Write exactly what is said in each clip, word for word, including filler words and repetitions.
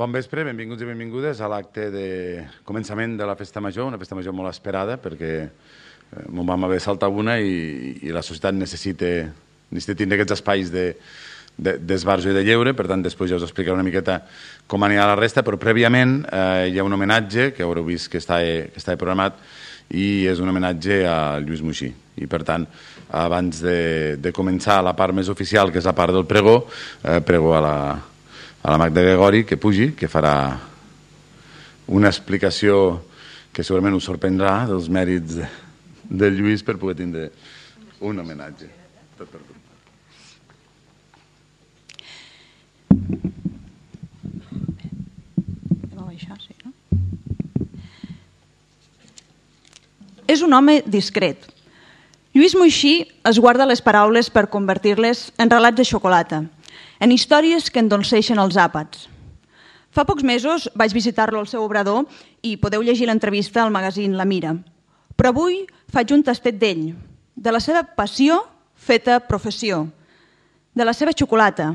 Bon vespre, benvinguts i benvingudes a l'acte de començament de la Festa Major, una Festa Major molt esperada perquè m'ho vam haver saltat una i, i la societat necessita, necessita tindre aquests espais de, de, d'esbarjo i de lleure, per tant després ja us explicaré una miqueta com anirà la resta, però prèviament eh, hi ha un homenatge que haureu vist que està, que està programat i és un homenatge a Lluís Moixí. I per tant, abans de, de començar la part més oficial, que és la part del pregó, eh, prego a la a la Magda Gregori, que pugi, que farà una explicació que segurament us sorprendrà dels mèrits de, de Lluís per poder tindre un homenatge. Tot per tu. És un home discret. Lluís Moixí es guarda les paraules per convertir-les en relats de xocolata, en històries que endolceixen els àpats. Fa pocs mesos vaig visitar-lo al seu obrador i podeu llegir l'entrevista al magazín La Mira. Però avui faig un tastet d'ell, de la seva passió feta professió, de la seva xocolata,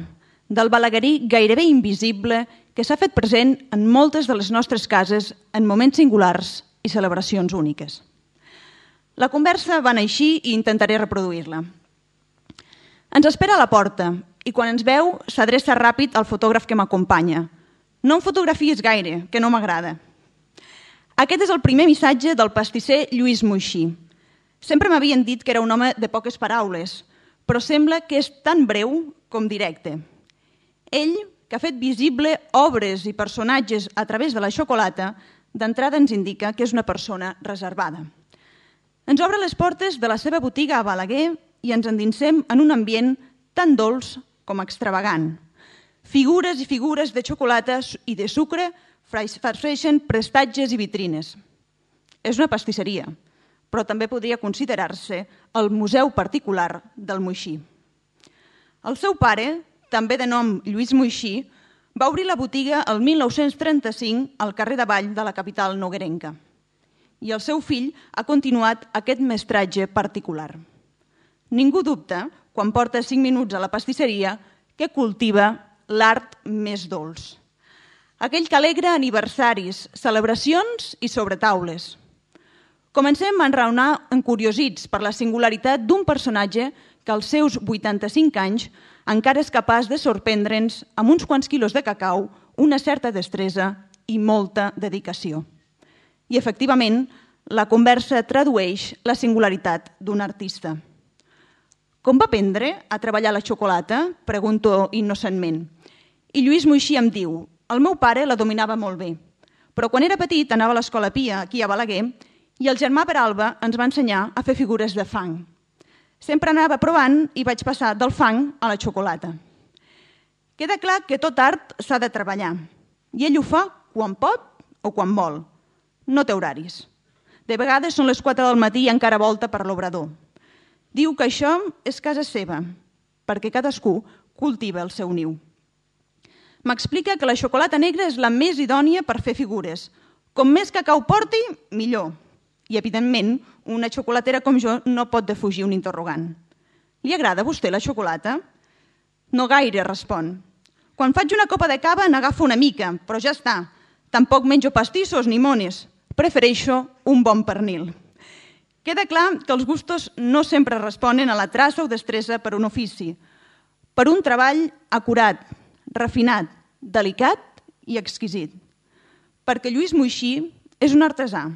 del balaguerí gairebé invisible que s'ha fet present en moltes de les nostres cases en moments singulars i celebracions úniques. La conversa va anar així i intentaré reproduir-la. Ens espera a la porta i quan ens veu s'adreça ràpid al fotògraf que m'acompanya. No em fotografies gaire, que no m'agrada. Aquest és el primer missatge del pastisser Lluís Moixí. Sempre m'havien dit que era un home de poques paraules, però sembla que és tan breu com directe. Ell, que ha fet visible obres i personatges a través de la xocolata, d'entrada ens indica que és una persona reservada. Ens obre les portes de la seva botiga a Balaguer i ens endinsem en un ambient tan dolç com extravagant. Figures i figures de xocolata i de sucre farceixen prestatges i vitrines. És una pastisseria, però també podria considerar-se el museu particular del Moixí. El seu pare, també de nom Lluís Moixí, va obrir la botiga el mil nou-cents trenta-cinc al carrer de Vall de la capital noguerenca. I el seu fill ha continuat aquest mestratge particular. Ningú dubta, quan porta cinc minuts a la pastisseria, que cultiva l'art més dolç. Aquell que alegra aniversaris, celebracions i sobretaules. Comencem a enraonar encuriosits per la singularitat d'un personatge que als seus vuitanta-cinc anys encara és capaç de sorprendre'ns amb uns quants quilos de cacau, una certa destresa i molta dedicació. I, efectivament, la conversa tradueix la singularitat d'un artista. Com va aprendre a treballar la xocolata? Pregunto innocentment. I Lluís Moixí em diu, el meu pare la dominava molt bé, però quan era petit anava a l'Escola Pia, aquí a Balaguer, i el germà Peralba ens va ensenyar a fer figures de fang. Sempre anava provant i vaig passar del fang a la xocolata. Queda clar que tot art s'ha de treballar, i ell ho fa quan pot o quan vol. No té horaris. De vegades són les quatre del matí i encara volta per l'obrador. Diu que això és casa seva, perquè cadascú cultiva el seu niu. M'explica que la xocolata negra és la més idònia per fer figures. Com més cacau porti, millor. I, evidentment, una xocolatera com jo no pot defugir un interrogant. Li agrada a vostè la xocolata? No gaire, respon. Quan faig una copa de cava n'agafo una mica, però ja està. Tampoc menjo pastissos ni mones. Prefereixo un bon pernil. Queda clar que els gustos no sempre responen a la traça o destresa per un ofici, per un treball acurat, refinat, delicat i exquisit. Perquè Lluís Moixí és un artesà.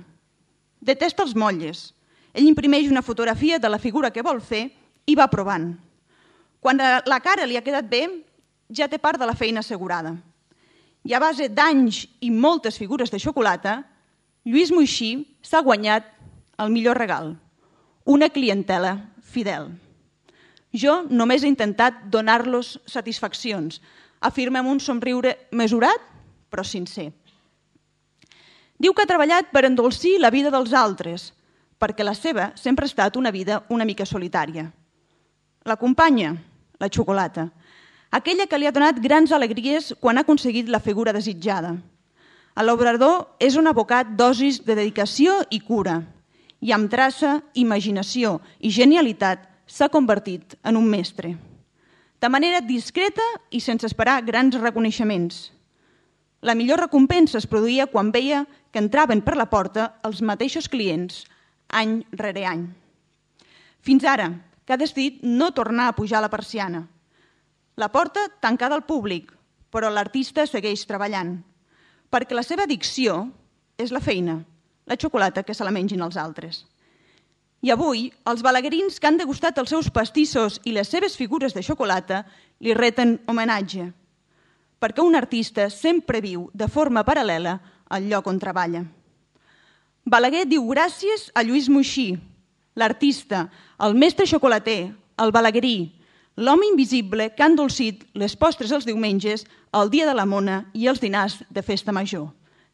Detesta els motlles. Ell imprimeix una fotografia de la figura que vol fer i va provant. Quan la cara li ha quedat bé, ja té part de la feina assegurada. I a base d'anys i moltes figures de xocolata, Lluís Moixí s'ha guanyat el millor regal, una clientela fidel. Jo només he intentat donar-los satisfaccions, afirma amb un somriure mesurat, però sincer. Diu que ha treballat per endolcir la vida dels altres, perquè la seva sempre ha estat una vida una mica solitària. L'acompanya, la xocolata, aquella que li ha donat grans alegries quan ha aconseguit la figura desitjada. A l'obrador és un abocat dosis de dedicació i cura, i amb traça, imaginació i genialitat s'ha convertit en un mestre. De manera discreta i sense esperar grans reconeixements. La millor recompensa es produïa quan veia que entraven per la porta els mateixos clients, any rere any. Fins ara, que ha decidit no tornar a pujar la persiana. La porta tancada al públic, però l'artista segueix treballant, perquè la seva addicció és la feina, la xocolata que se la mengin els altres. I avui, els balaguerins que han degustat els seus pastissos i les seves figures de xocolata li reten homenatge, perquè un artista sempre viu de forma paral·lela al lloc on treballa. Balaguer diu gràcies a Lluís Moixí, l'artista, el mestre xocolater, el balaguerí, l'home invisible que ha endolcit les postres els diumenges, el dia de la mona i els dinars de festa major,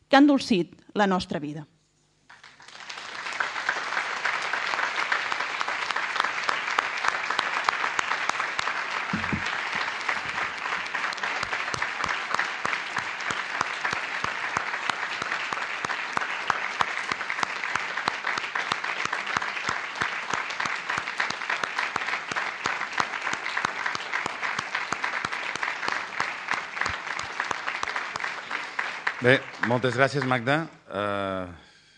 que ha endolcit la nostra vida. Bé, moltes gràcies, Magda. Uh,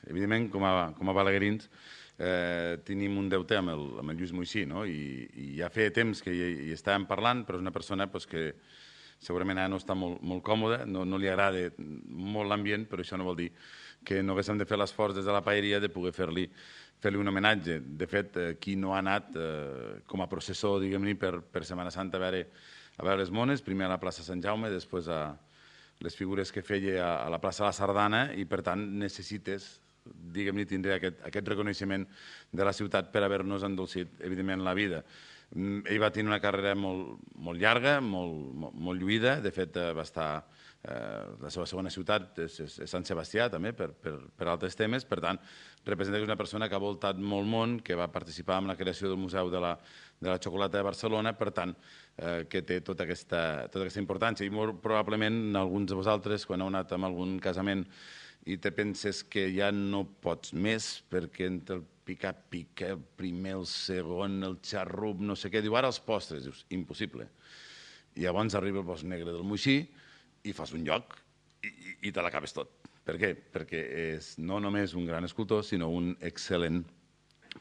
evidentment, com a, com a balaguerins, eh, tenim un deute amb el, amb el Lluís Moixí, no? I, i ja feia temps que hi, hi estàvem parlant, però és una persona pues, que segurament ara no està molt, molt còmoda, no, no li agrada molt l'ambient, però això no vol dir que no haguéssim de fer l'esforç des de la paeria de poder fer-li fer-li un homenatge. De fet, eh, qui no ha anat eh, com a processó, diguem-ne, per, per Setmana Santa a veure, a veure les mones, primer a la plaça Sant Jaume, després a les figures que feia a la plaça de la Sardana i, per tant, necessites, diguem-ne, tindre aquest, aquest reconeixement de la ciutat per haver-nos endolcit, evidentment, la vida. Ell va tenir una carrera molt, molt llarga, molt, molt, molt lluïda. De fet, va estar... Eh, la seva segona ciutat és, és, és Sant Sebastià, també, per, per, per altres temes. Per tant, representa que és una persona que ha voltat molt món, que va participar en la creació del Museu de la, de la Xocolata de Barcelona, per tant, eh, que té tota aquesta, tota aquesta importància. I molt probablement, alguns de vosaltres, quan heu anat a algun casament i te penses que ja no pots més, perquè entre el picar-pica, el primer, el segon, el xarrup, no sé què, diu, ara els postres, dius, impossible. I llavors arriba el bosc negre del Moixí, i fas un lloc i, i te l'acabes tot. Per què? Perquè és no només un gran escultor, sinó un excel·lent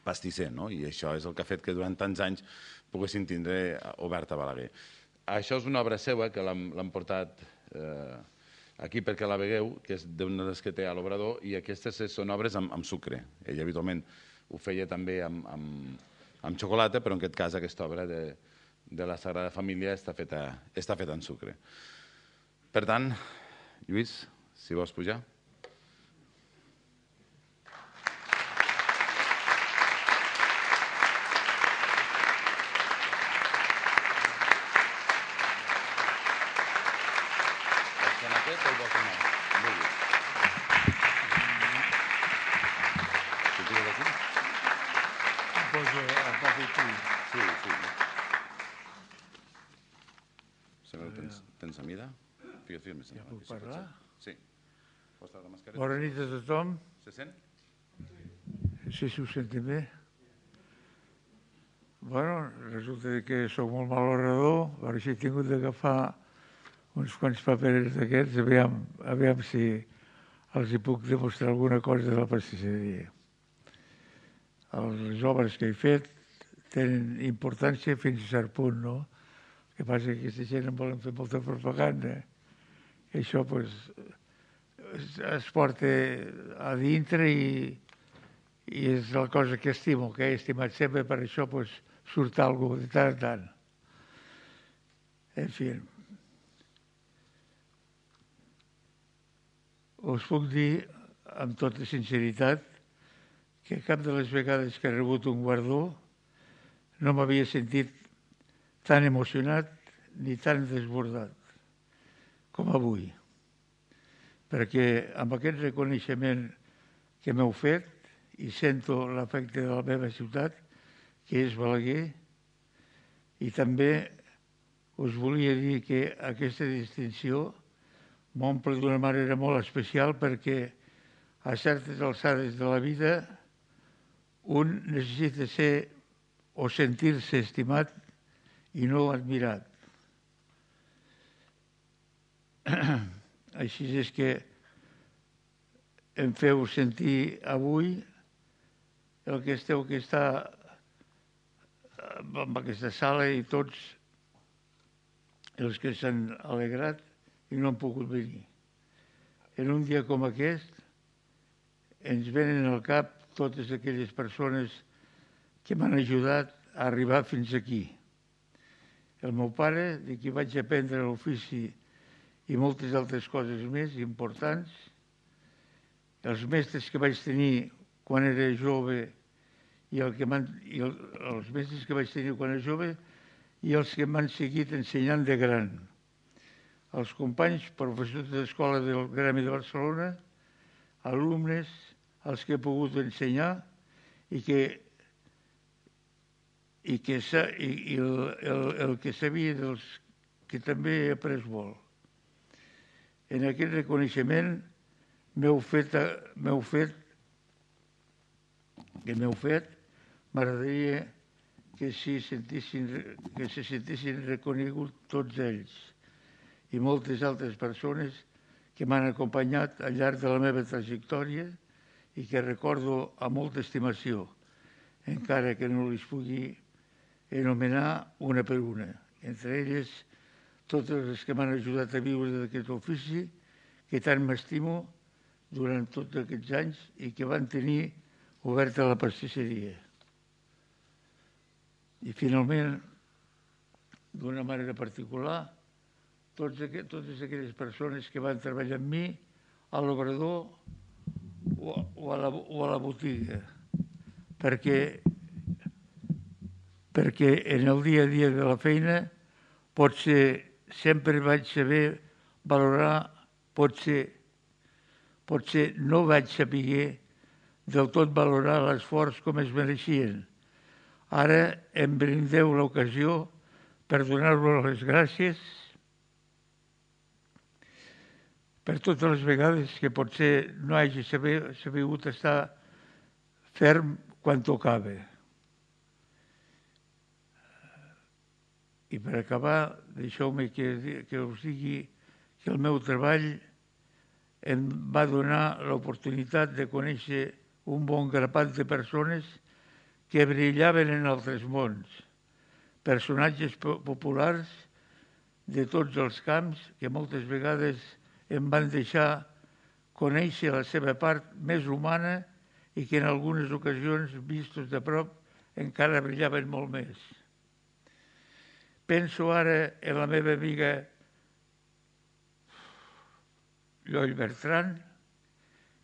pastisser, no? I això és el que ha fet que durant tants anys poguessin tindre oberta Balaguer. Això és una obra seva que l'han portat eh, aquí perquè la vegueu, que és d'una de les que té a l'Obrador, i aquestes són obres amb, amb sucre. Ell habitualment ho feia també amb, amb, amb xocolata, però en aquest cas aquesta obra de, de la Sagrada Família està feta, està feta en sucre. Per tant, Lluís, si vols pujar. Tens a mida? Ja puc parlar? Sí. Bona nit a tothom. Se sent? Sí, si ho senten bé. Bueno, resulta que soc molt mal orador, per això he tingut d'agafar uns quants paperers d'aquests, aviam, aviam si els hi puc demostrar alguna cosa de la pastisseria. Les obres que he fet tenen importància fins a cert punt, no? El que passa que aquesta gent en volen fer molta propaganda. I això pues, es porta a dintre i, i és la cosa que estimo, que he estimat sempre, per això pues, surt alguna cosa de tant en tant. En fi, us puc dir amb tota sinceritat que cap de les vegades que he rebut un guardó no m'havia sentit tan emocionat ni tan desbordat com avui, perquè amb aquest reconeixement que m'heu fet i sento l'efecte de la meva ciutat, que és Balaguer, i també us volia dir que aquesta distinció m'omple d'una manera molt especial perquè a certes alçades de la vida un necessita ser o sentir-se estimat i no admirat. Així és que em feu sentir avui el que esteu que està en aquesta sala i tots els que s'han alegrat i no han pogut venir. En un dia com aquest ens venen al cap totes aquelles persones que m'han ajudat a arribar fins aquí. El meu pare, de qui vaig aprendre l'ofici i moltes altres coses més importants, els mestres que vaig tenir quan era jove i, el que i el, els mestres que vaig tenir quan era jove i els que m'han seguit ensenyant de gran. Els companys, professors de l'Escola del Gremi de Barcelona, alumnes, els que he pogut ensenyar i que, i que i, i el, el, el que sabia dels que també he après molt. En aquest reconeixement m'heu fet, m'heu fet, que m'heu fet, m'agradaria que, si sentissin, que se sentissin reconeguts tots ells i moltes altres persones que m'han acompanyat al llarg de la meva trajectòria i que recordo amb molta estimació, encara que no les pugui anomenar una per una. Entre elles, totes les que m'han ajudat a viure d'aquest ofici, que tant m'estimo durant tots aquests anys i que van tenir oberta la pastisseria. I finalment, d'una manera particular, tots aqu totes aquelles persones que van treballar amb mi a l'obrador o, o, a la, o a la botiga, perquè, perquè en el dia a dia de la feina potser sempre vaig saber valorar, potser, potser no vaig saber del tot valorar l'esforç com es mereixien. Ara em brindeu l'ocasió per donar-vos les gràcies per totes les vegades que potser no hagi sabut estar ferm quan tocava. I per acabar, deixeu-me que, que us digui que el meu treball em va donar l'oportunitat de conèixer un bon grapat de persones que brillaven en altres mons, personatges populars de tots els camps que moltes vegades em van deixar conèixer la seva part més humana i que en algunes ocasions, vistos de prop, encara brillaven molt més. Penso ara en la meva amiga Lloll Bertran,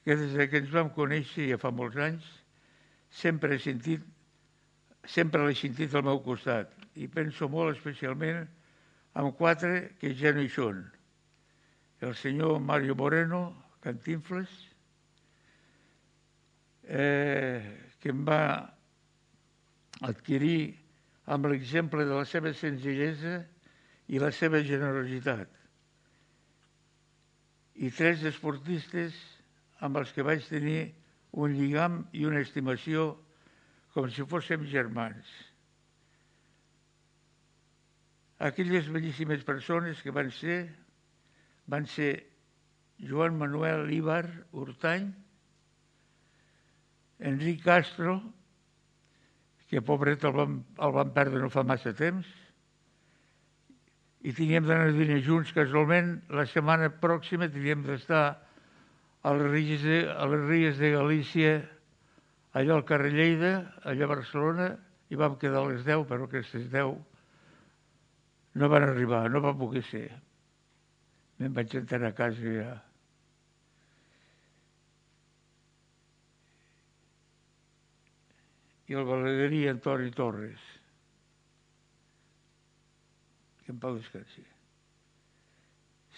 que des que ens vam conèixer ja fa molts anys, sempre he sentit, sempre l'he sentit al meu costat. I penso molt especialment en quatre que ja no hi són. El senyor Mario Moreno, Cantinflas, eh, que em va adquirir amb l'exemple de la seva senzillesa i la seva generositat. I tres esportistes amb els que vaig tenir un lligam i una estimació com si fóssim germans. Aquelles bellíssimes persones que van ser, van ser Joan Manuel Ibar Hurtany, Enric Castro, que pobret el vam, el vam perdre no fa massa temps, i teníem d'anar a dinar junts casualment. La setmana pròxima teníem d'estar a les Ries de, a les Ries de Galícia, allà al carrer Lleida, allà a Barcelona, i vam quedar a les deu, però aquestes deu no van arribar, no va poder ser. Me'n vaig enterar a casa ja. I el balaguerí Antoni Torres, que en pau descansi.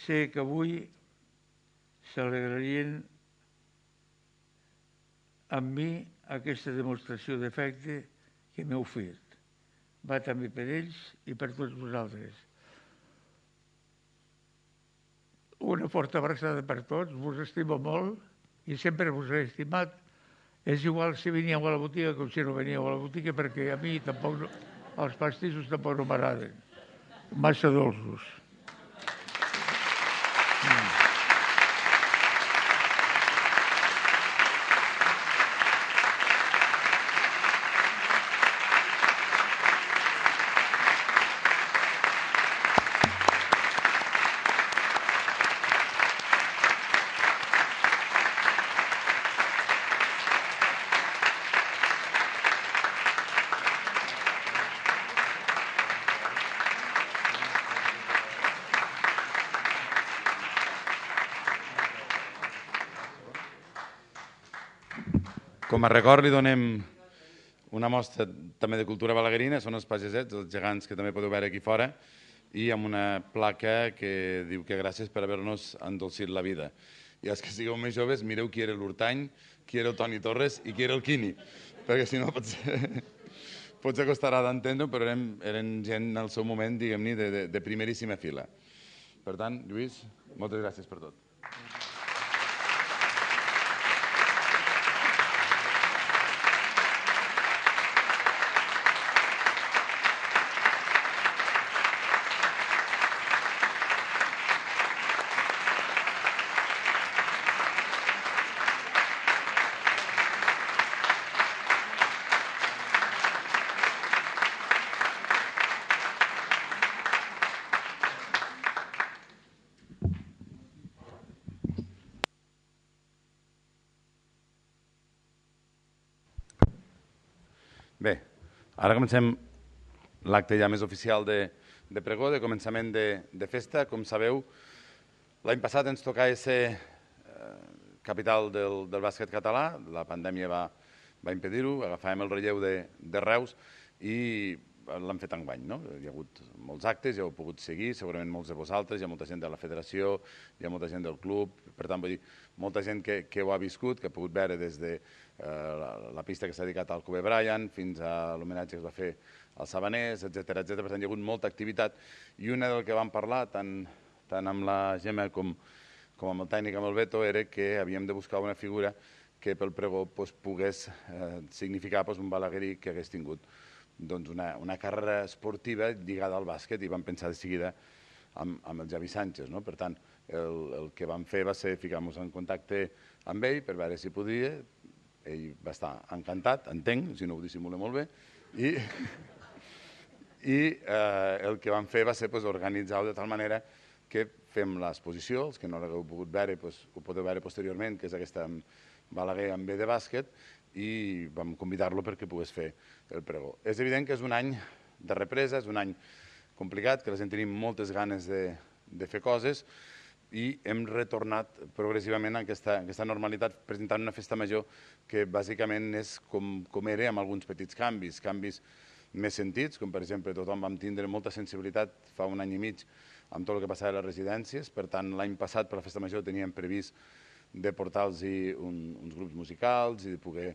Sé que avui s'alegrarien amb mi aquesta demostració d'afecte que m'heu fet. Va també per ells i per tots vosaltres. Una forta abraçada per tots, vos estimo molt i sempre vos he estimat. És igual si veníeu a la botiga com si no veníeu a la botiga, perquè a mi tampoc no, els pastissos tampoc no m'agraden. Massa dolços. Mm. Com a record li donem una mostra també de cultura balaguerina, són els pagesets, els gegants que també podeu veure aquí fora, i amb una placa que diu que gràcies per haver-nos endolcit la vida. I els que sigueu més joves, mireu qui era l'Hurtany, qui era el Toni Torres i qui era el Quini, perquè si no potser, potser costarà d'entendre, però eren, eren gent al seu moment, diguem-ne, de, de, de primeríssima fila. Per tant, Lluís, moltes gràcies per tot. Bé, ara comencem l'acte ja més oficial de, de pregó, de començament de, de festa. Com sabeu, l'any passat ens tocava ser eh, capital del, del bàsquet català, la pandèmia va, va impedir-ho, agafàvem el relleu de, de Reus i l'hem fet enguany, no? Hi ha hagut molts actes, ja ho heu pogut seguir, segurament molts de vosaltres, hi ha molta gent de la federació, hi ha molta gent del club, per tant, vull dir, molta gent que, que ho ha viscut, que ha pogut veure des de eh, la, la pista que s'ha dedicat al Kobe Bryant fins a l'homenatge que es va fer als Sabaners, etcètera, etcètera. Per tant, hi ha hagut molta activitat i una del que vam parlar, tant, tant amb la Gemma com, com amb el tècnic, amb el Beto, era que havíem de buscar una figura que pel pregó pues, pogués eh, significar pues, un balaguerí que hagués tingut doncs, una, una carrera esportiva lligada al bàsquet i vam pensar de seguida amb, amb el Javi Sánchez. No? Per tant, el, el que vam fer va ser ficar-nos en contacte amb ell per veure si podia. Ell va estar encantat, entenc, si no ho dissimula molt bé, i, i eh, el que vam fer va ser pues, organitzar-ho de tal manera que fem l'exposició, els que no l'hagueu pogut veure pues, ho podeu veure posteriorment, que és aquesta Balaguer amb B de bàsquet, i vam convidar-lo perquè pogués fer el pregó. És evident que és un any de represa, és un any complicat, que la gent tenim moltes ganes de, de fer coses i hem retornat progressivament a aquesta, aquesta normalitat presentant una festa major que bàsicament és com, com era amb alguns petits canvis, canvis més sentits, com per exemple tothom vam tindre molta sensibilitat fa un any i mig amb tot el que passava a les residències, per tant l'any passat per la festa major teníem previst de portar-los un, uns grups musicals i de poder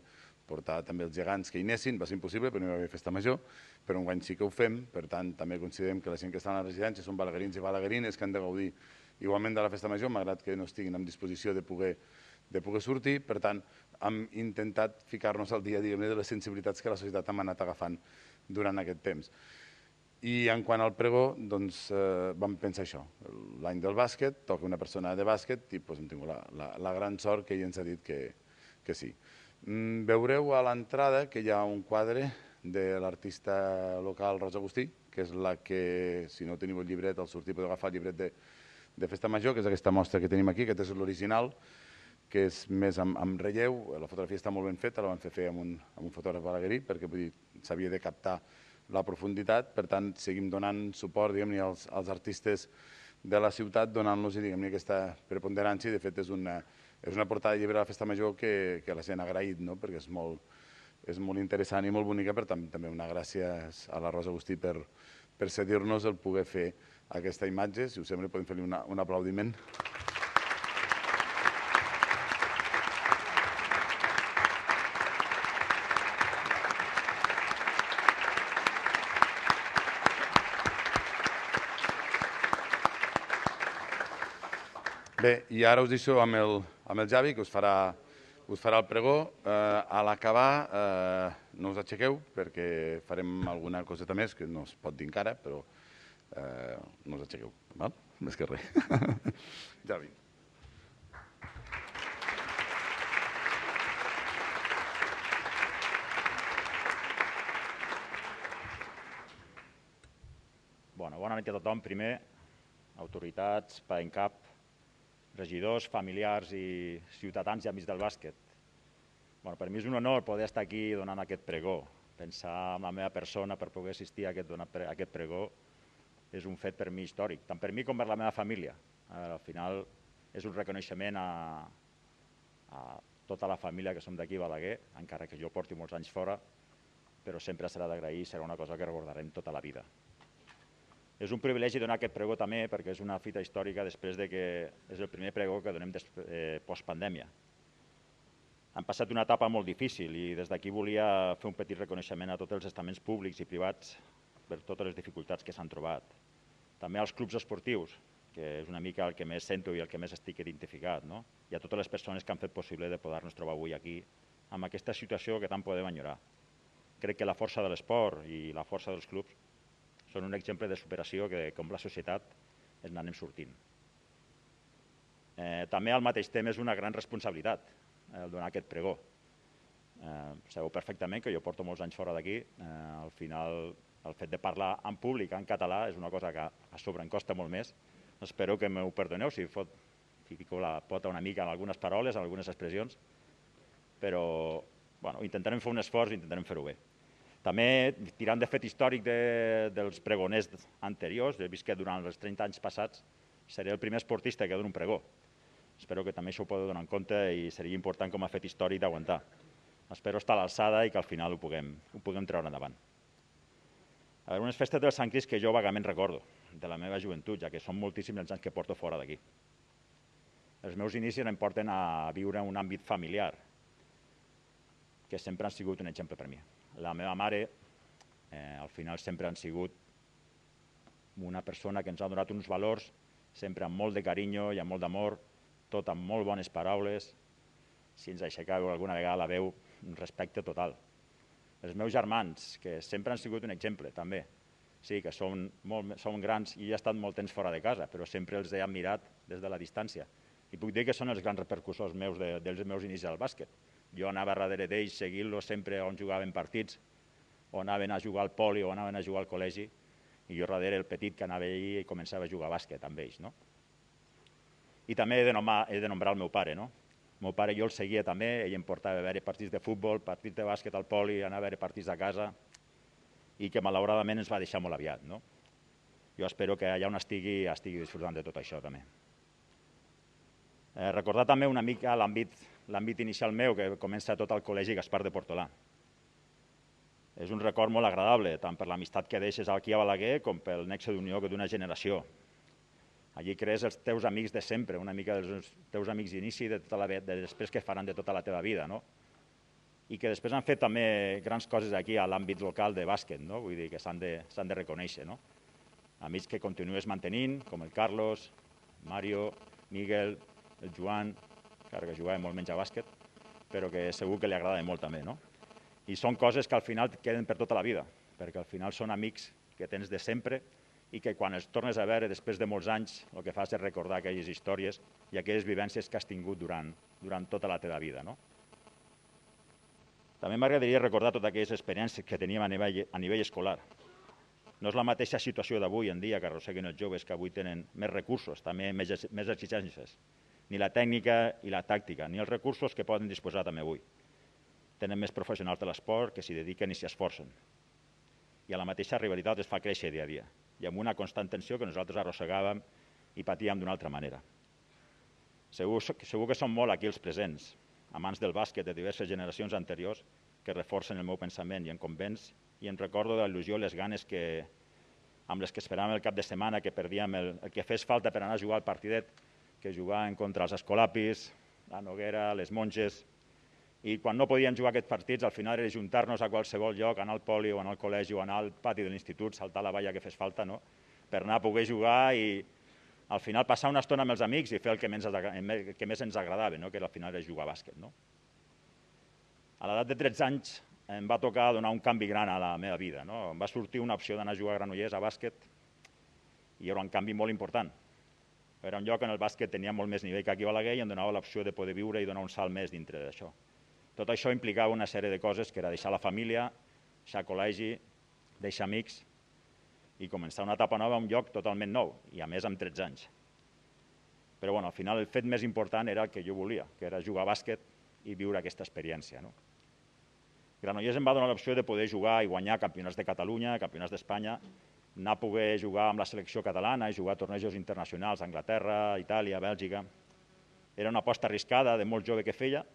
portar també els gegants que hi anessin. Va ser impossible, però no hi va haver festa major, però enguany sí que ho fem, per tant també considerem que la gent que està a la residència són balaguerins i balaguerines que han de gaudir igualment de la festa major, malgrat que no estiguin en disposició de poder, de poder sortir. Per tant, hem intentat ficar-nos al dia a dia de les sensibilitats que la societat hem anat agafant durant aquest temps. I en quant al pregó, doncs, eh, vam pensar això. L'any del bàsquet, toca una persona de bàsquet i doncs, hem tingut la, la, la gran sort que ell ens ha dit que, que sí. Mm, veureu a l'entrada que hi ha un quadre de l'artista local Rosa Agustí, que és la que, si no teniu el llibret, al sortir podeu agafar el llibret de, de Festa Major, que és aquesta mostra que tenim aquí, que és l'original, que és més amb, amb relleu. La fotografia està molt ben feta, la vam fer fer amb un, amb un fotògraf balaguerí, perquè s'havia de captar la profunditat, per tant, seguim donant suport als, als artistes de la ciutat, donant-los aquesta preponderància, i de fet és una, és una portada de llibre de la Festa Major que, que la gent ha agraït, no? Perquè és molt, és molt interessant i molt bonica, per tant, també una gràcies a la Rosa Agustí per, per cedir-nos el poder fer aquesta imatge. Si us sembla, podem fer-li una, un aplaudiment. Bé, i ara us deixo amb el, amb el Javi, que us farà, us farà el pregó. Eh, a l'acabar, eh, no us aixequeu, perquè farem alguna coseta més, que no es pot dir encara, però eh, no us aixequeu, val? Més que res. Javi. Bona, bona nit a tothom. Primer, autoritats, PAENCAP, regidors, familiars i ciutadans i amics del bàsquet. Bueno, per mi és un honor poder estar aquí donant aquest pregó. Pensar en la meva persona per poder assistir a aquest, a aquest pregó és un fet per mi històric, tant per mi com per la meva família. Al final és un reconeixement a, a tota la família que som d'aquí a Balaguer, encara que jo porti molts anys fora, però sempre serà d'agrair i serà una cosa que recordarem tota la vida. És un privilegi donar aquest pregó també perquè és una fita històrica després de que és el primer pregó que donem eh, postpandèmia. Han passat una etapa molt difícil i des d'aquí volia fer un petit reconeixement a tots els estaments públics i privats per totes les dificultats que s'han trobat. També als clubs esportius, que és una mica el que més sento i el que més estic identificat, no? I a totes les persones que han fet possible de poder-nos trobar avui aquí amb aquesta situació que tant podem enyorar. Crec que la força de l'esport i la força dels clubs són un exemple de superació que, com la societat, ens n'anem sortint. Eh, també al mateix temps és una gran responsabilitat el donar aquest pregó. Eh, sabeu perfectament que jo porto molts anys fora d'aquí. Eh, al final, el fet de parlar en públic, en català, és una cosa que a sobre em costa molt més. Espero que m'ho perdoneu si fot, fico la pota una mica en algunes paroles, en algunes expressions, però bueno, intentarem fer un esforç i intentarem fer-ho bé. També, tirant de fet històric de, dels pregoners anteriors, he vist que durant els trenta anys passats seré el primer esportista que dona un pregó. Espero que també això ho podeu donar en compte i seria important com a fet històric d'aguantar. Espero estar a l'alçada i que al final ho puguem, ho puguem treure endavant. A veure, unes festes del Sant Crist que jo vagament recordo, de la meva joventut, ja que són moltíssims els anys que porto fora d'aquí. Els meus inicis em porten a viure en un àmbit familiar, que sempre han sigut un exemple per mi. La meva mare, eh, al final, sempre han sigut una persona que ens ha donat uns valors, sempre amb molt de carinyo i amb molt d'amor, tot amb molt bones paraules. Si ens aixecàveu alguna vegada la veu, un respecte total. Els meus germans, que sempre han sigut un exemple, també. Sí, que són, molt, són grans i he estat molt temps fora de casa, però sempre els he admirat des de la distància. I puc dir que són els grans repercussors meus de, dels meus inicis al bàsquet. Jo anava darrere d'ells, seguint-los sempre on jugaven partits, o anaven a jugar al poli, o anaven a jugar al col·legi, i jo darrere el petit que anava allí i començava a jugar a bàsquet amb ells. No? I també he de, nomar, he de nombrar el meu pare. No? El meu pare jo el seguia també, ell em portava a veure partits de futbol, partits de bàsquet al poli, anava a veure partits a casa, i que malauradament ens va deixar molt aviat. No? Jo espero que allà on estigui, estigui disfrutant de tot això també. Eh, recordar també una mica l'àmbit inicial meu, que comença tot al Col·legi Gaspar de Portolà. És un record molt agradable, tant per l'amistat que deixes aquí a Balaguer com pel nexe d'unió d'una generació. Allí crees els teus amics de sempre, una mica dels teus amics d'inici de, tota la, de després que faran de tota la teva vida, no? I que després han fet també grans coses aquí a l'àmbit local de bàsquet, no? Vull dir que s'han de, s'han de reconèixer, no? Amics que continues mantenint, com el Carlos, Mario, Miguel, el Joan, encara que jugava molt menys a bàsquet, però que segur que li agrada molt també, no? I són coses que al final queden per tota la vida, perquè al final són amics que tens de sempre i que quan els tornes a veure després de molts anys el que fas és recordar aquelles històries i aquelles vivències que has tingut durant, durant tota la teva vida, no? També m'agradaria recordar totes aquelles experiències que teníem a nivell, a nivell escolar. No és la mateixa situació d'avui en dia que arrosseguen els joves que avui tenen més recursos, també més, més exigències. Ni la tècnica i la tàctica, ni els recursos que poden disposar també avui. Tenen més professionals de l'esport que s'hi dediquen i s'hi esforcen. I a la mateixa rivalitat es fa créixer dia a dia, i amb una constant tensió que nosaltres arrossegàvem i patíem d'una altra manera. Segur, segur que són molt aquí els presents, amants del bàsquet de diverses generacions anteriors, que reforcen el meu pensament i em convenç i em recordo de la il·lusió i les ganes que, amb les que esperàvem el cap de setmana, que perdíem el, el que fes falta per anar a jugar al partidet, que jugaven contra els Escolapis, la Noguera, les Monges, i quan no podien jugar aquests partits, al final era juntar-nos a qualsevol lloc, anar al poli o anar al col·legi o anar al pati de l'institut, saltar la valla que fes falta, no? Per anar a poder jugar i al final passar una estona amb els amics i fer el que més, el que més ens agradava, no? Que al final era jugar a bàsquet. No? A l'edat de tretze anys em va tocar donar un canvi gran a la meva vida. No? Em va sortir una opció d'anar a jugar a Granollers a bàsquet i era un canvi molt important. Era un lloc on el bàsquet tenia molt més nivell que aquí a Balaguer i em donava l'opció de poder viure i donar un salt més dintre d'això. Tot això implicava una sèrie de coses que era deixar la família, deixar col·legi, deixar amics i començar una etapa nova a un lloc totalment nou, i a més amb tretze anys. Però bueno, al final el fet més important era el que jo volia, que era jugar a bàsquet i viure aquesta experiència. No? Granollers em va donar l'opció de poder jugar i guanyar campionats de Catalunya, campionats d'Espanya, anar a poder jugar amb la selecció catalana i jugar a tornejos internacionals a Anglaterra, Itàlia, Bèlgica. Era una aposta arriscada de molt jove que feia,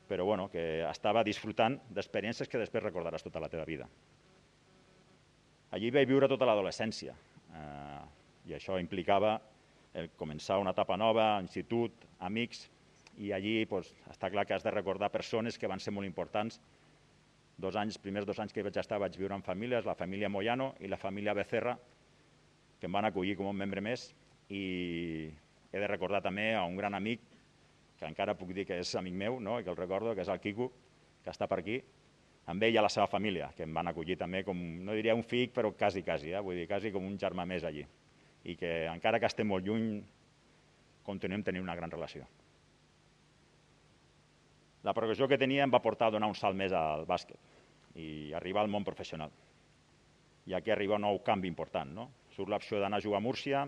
però bueno, que estava disfrutant d'experiències que després recordaràs tota la teva vida. Allí vaig viure tota l'adolescència eh, i això implicava el començar una etapa nova, institut, amics, i allí doncs, està clar que has de recordar persones que van ser molt importants. Dos anys, primers dos anys que vaig estar vaig viure en famílies, la família Moyano i la família Becerra, que em van acollir com un membre més, i he de recordar també a un gran amic, que encara puc dir que és amic meu, no? I que el recordo, que és el Quico, que està per aquí, amb ell i a la seva família, que em van acollir també com, no diria un fill, però quasi, quasi, eh? Vull dir, quasi com un germà més allí. I que encara que estem molt lluny, continuem tenint una gran relació. La progressió que tenia em va portar a donar un salt més al bàsquet i arribar al món professional. I aquí arriba un nou canvi important, no? Surt l'opció d'anar a jugar a Múrcia,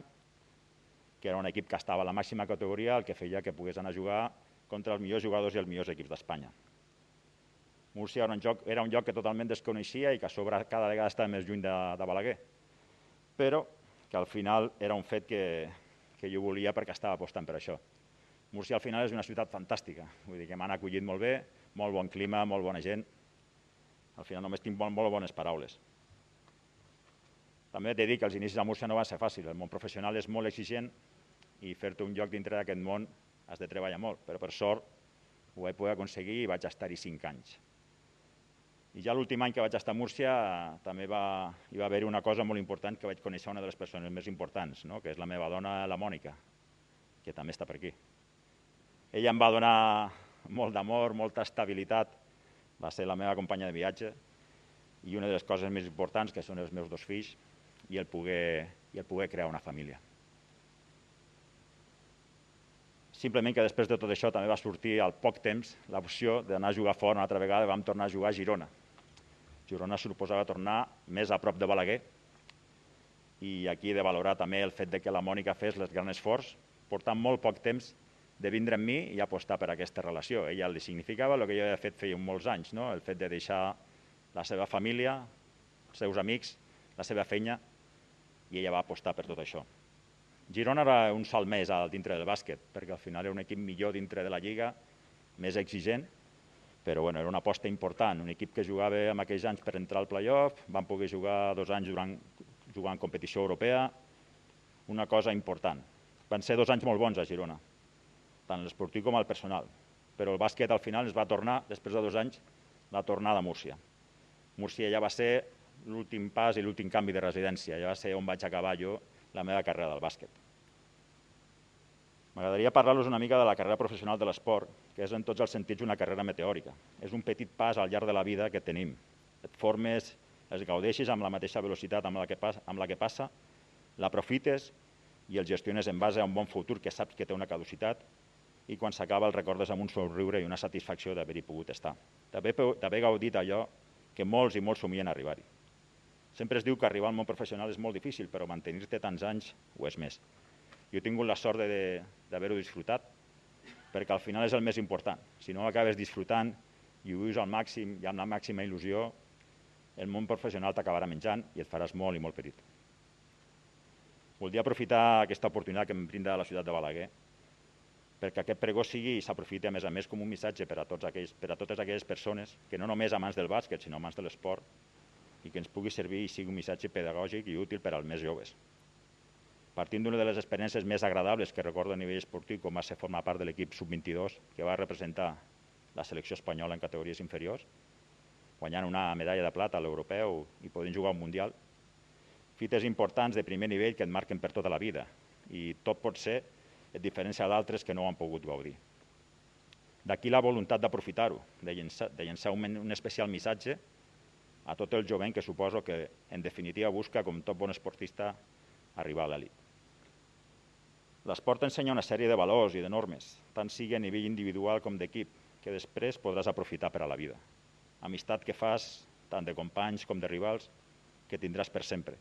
que era un equip que estava a la màxima categoria, el que feia que pogués anar a jugar contra els millors jugadors i els millors equips d'Espanya. Múrcia era un, joc, era un lloc que totalment desconeixia i que a sobre cada vegada estava més lluny de, de Balaguer, però que al final era un fet que, que jo volia perquè estava apostant per això. Múrcia al final és una ciutat fantàstica, vull dir que m'han acollit molt bé, molt bon clima, molt bona gent. Al final només tinc molt, molt bones paraules. També t'he dit que els inicis a Múrcia no van ser fàcils, el món professional és molt exigent i fer-te un lloc dintre d'aquest món has de treballar molt, però per sort ho vaig poder aconseguir i vaig estar-hi cinc anys. I ja l'últim any que vaig estar a Múrcia també va, hi va haver una cosa molt important, que vaig conèixer una de les persones més importants, no? Que és la meva dona, la Mònica, que també està per aquí. Ella em va donar molt d'amor, molta estabilitat, va ser la meva companya de viatge i una de les coses més importants, que són els meus dos fills, i el poder, i el poder crear una família. Simplement que després de tot això també va sortir al poc temps l'opció d'anar a jugar fora una altra vegada i vam tornar a jugar a Girona. Girona suposava tornar més a prop de Balaguer i aquí he de valorar també el fet de que la Mònica fes el gran esforç, portant molt poc temps de vindre amb mi i apostar per aquesta relació. Ella li significava el que jo havia fet feia molts anys, no? El fet de deixar la seva família, els seus amics, la seva feina, i ella va apostar per tot això. Girona era un salt més dintre del bàsquet, perquè al final era un equip millor dintre de la lliga, més exigent, però bueno, era una aposta important, un equip que jugava en aquells anys per entrar al play-off, van poder jugar dos anys durant, jugar en competició europea, una cosa important. Van ser dos anys molt bons a Girona, tant l'esportiu com el personal, però el bàsquet al final es va tornar, després de dos anys, la tornada a Múrcia. Múrcia ja va ser l'últim pas i l'últim canvi de residència, ja va ser on vaig acabar jo la meva carrera del bàsquet. M'agradaria parlar-los una mica de la carrera professional de l'esport, que és en tots els sentits una carrera meteòrica. És un petit pas al llarg de la vida que tenim. Et formes, es gaudeixis amb la mateixa velocitat amb la que passa, amb la que passa, l'aprofites i el gestiones en base a un bon futur que saps que té una caducitat i quan s'acaba el recordes amb un somriure i una satisfacció d'haver-hi pogut estar. D'haver gaudit allò que molts i molts somien arribar-hi. Sempre es diu que arribar al món professional és molt difícil, però mantenir-te tants anys ho és més. Jo he tingut la sort d'haver-ho disfrutat, perquè al final és el més important. Si no acabes disfrutant i ho vius al màxim i amb la màxima il·lusió, el món professional t'acabarà menjant i et faràs molt i molt petit. Voldria aprofitar aquesta oportunitat que em brinda la ciutat de Balaguer perquè aquest pregó sigui i s'aprofiti a més a més com un missatge per a, tots aquells, per a totes aquelles persones que no només amants del bàsquet, sinó amants de l'esport, i que ens pugui servir i sigui un missatge pedagògic i útil per als més joves. Partint d'una de les experiències més agradables que recordo a nivell esportiu, com va ser formar part de l'equip sub vint-i-dos, que va representar la selecció espanyola en categories inferiors, guanyant una medalla de plata a l'europeu i podent jugar a un mundial. Fites importants de primer nivell que et marquen per tota la vida i tot pot ser a diferència d'altres que no ho han pogut gaudir. D'aquí la voluntat d'aprofitar-ho, de llençar, de llençar un, un especial missatge a tot el jovent que suposo que, en definitiva, busca, com tot bon esportista, arribar a l'elit. L'esport ensenya una sèrie de valors i de normes, tant sigui a nivell individual com d'equip, que després podràs aprofitar per a la vida. Amistat que fas, tant de companys com de rivals, que tindràs per sempre.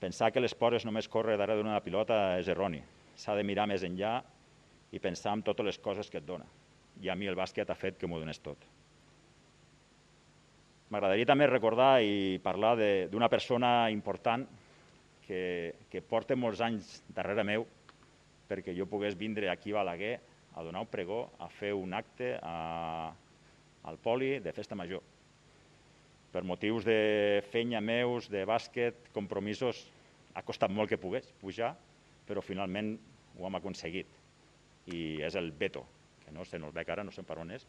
Pensar que l'esport és només córrer darrere d'una pilota és erroni. S'ha de mirar més enllà i pensar en totes les coses que et dona. I a mi el bàsquet ha fet que m'ho donés tot. M'agradaria també recordar i parlar d'una persona important que, que porta molts anys darrere meu perquè jo pogués vindre aquí a Balaguer a donar un pregó, a fer un acte al poli de festa major. Per motius de fenya meus, de bàsquet, compromisos, ha costat molt que pogués pujar, però finalment ho hem aconseguit. I és el veto, que no sé, no el veig ara, no sé per on és,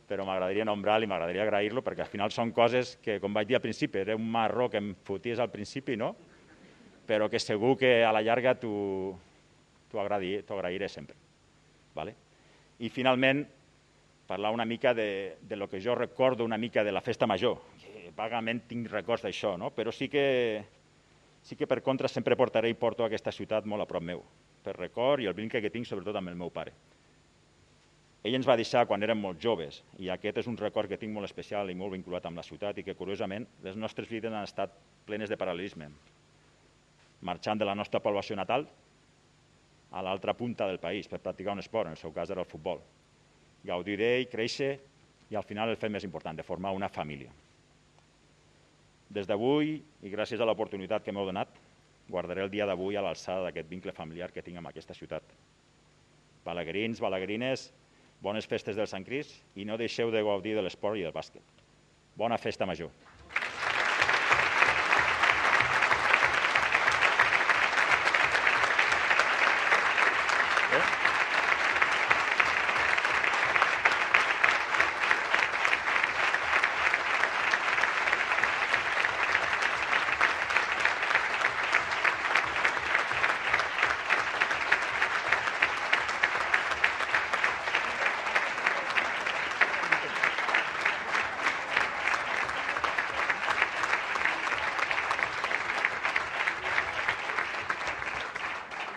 però m'agradaria nombrar-lo i m'agradaria agrair-lo, perquè al final són coses que, com vaig dir al principi, era un marró que em foties al principi, no? Però que segur que a la llarga t'ho agrairé sempre. I finalment, parlar una mica de lo que jo recordo una mica de la festa major, que vagament tinc records d'això, però sí que sí que per contra sempre portaré i porto aquesta ciutat molt a prop meu, per record i el vincle que tinc sobretot amb el meu pare. Ell ens va deixar quan érem molt joves i aquest és un record que tinc molt especial i molt vinculat amb la ciutat i que, curiosament, les nostres vides han estat plenes de paral·lelisme, marxant de la nostra població natal a l'altra punta del país per practicar un esport, en el seu cas era el futbol. Gaudir d'ell, créixer i al final el fet més important, de formar una família. Des d'avui, i gràcies a l'oportunitat que m'heu donat, guardaré el dia d'avui a l'alçada d'aquest vincle familiar que tinc amb aquesta ciutat. Balaguerins, balaguerines, bones festes del Sant Crist i no deixeu de gaudir de l'esport i del bàsquet. Bona festa major.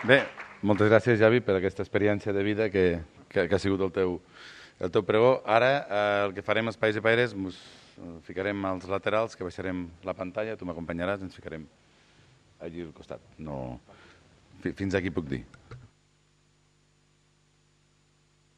Bé, moltes gràcies, Javi, per aquesta experiència de vida que, que, que ha sigut el teu, el teu pregó. Ara eh, el que farem els Pais i Paires, ens ficarem als laterals, que baixarem la pantalla, tu m'acompanyaràs, ens ficarem allí al costat. No... Fins aquí puc dir.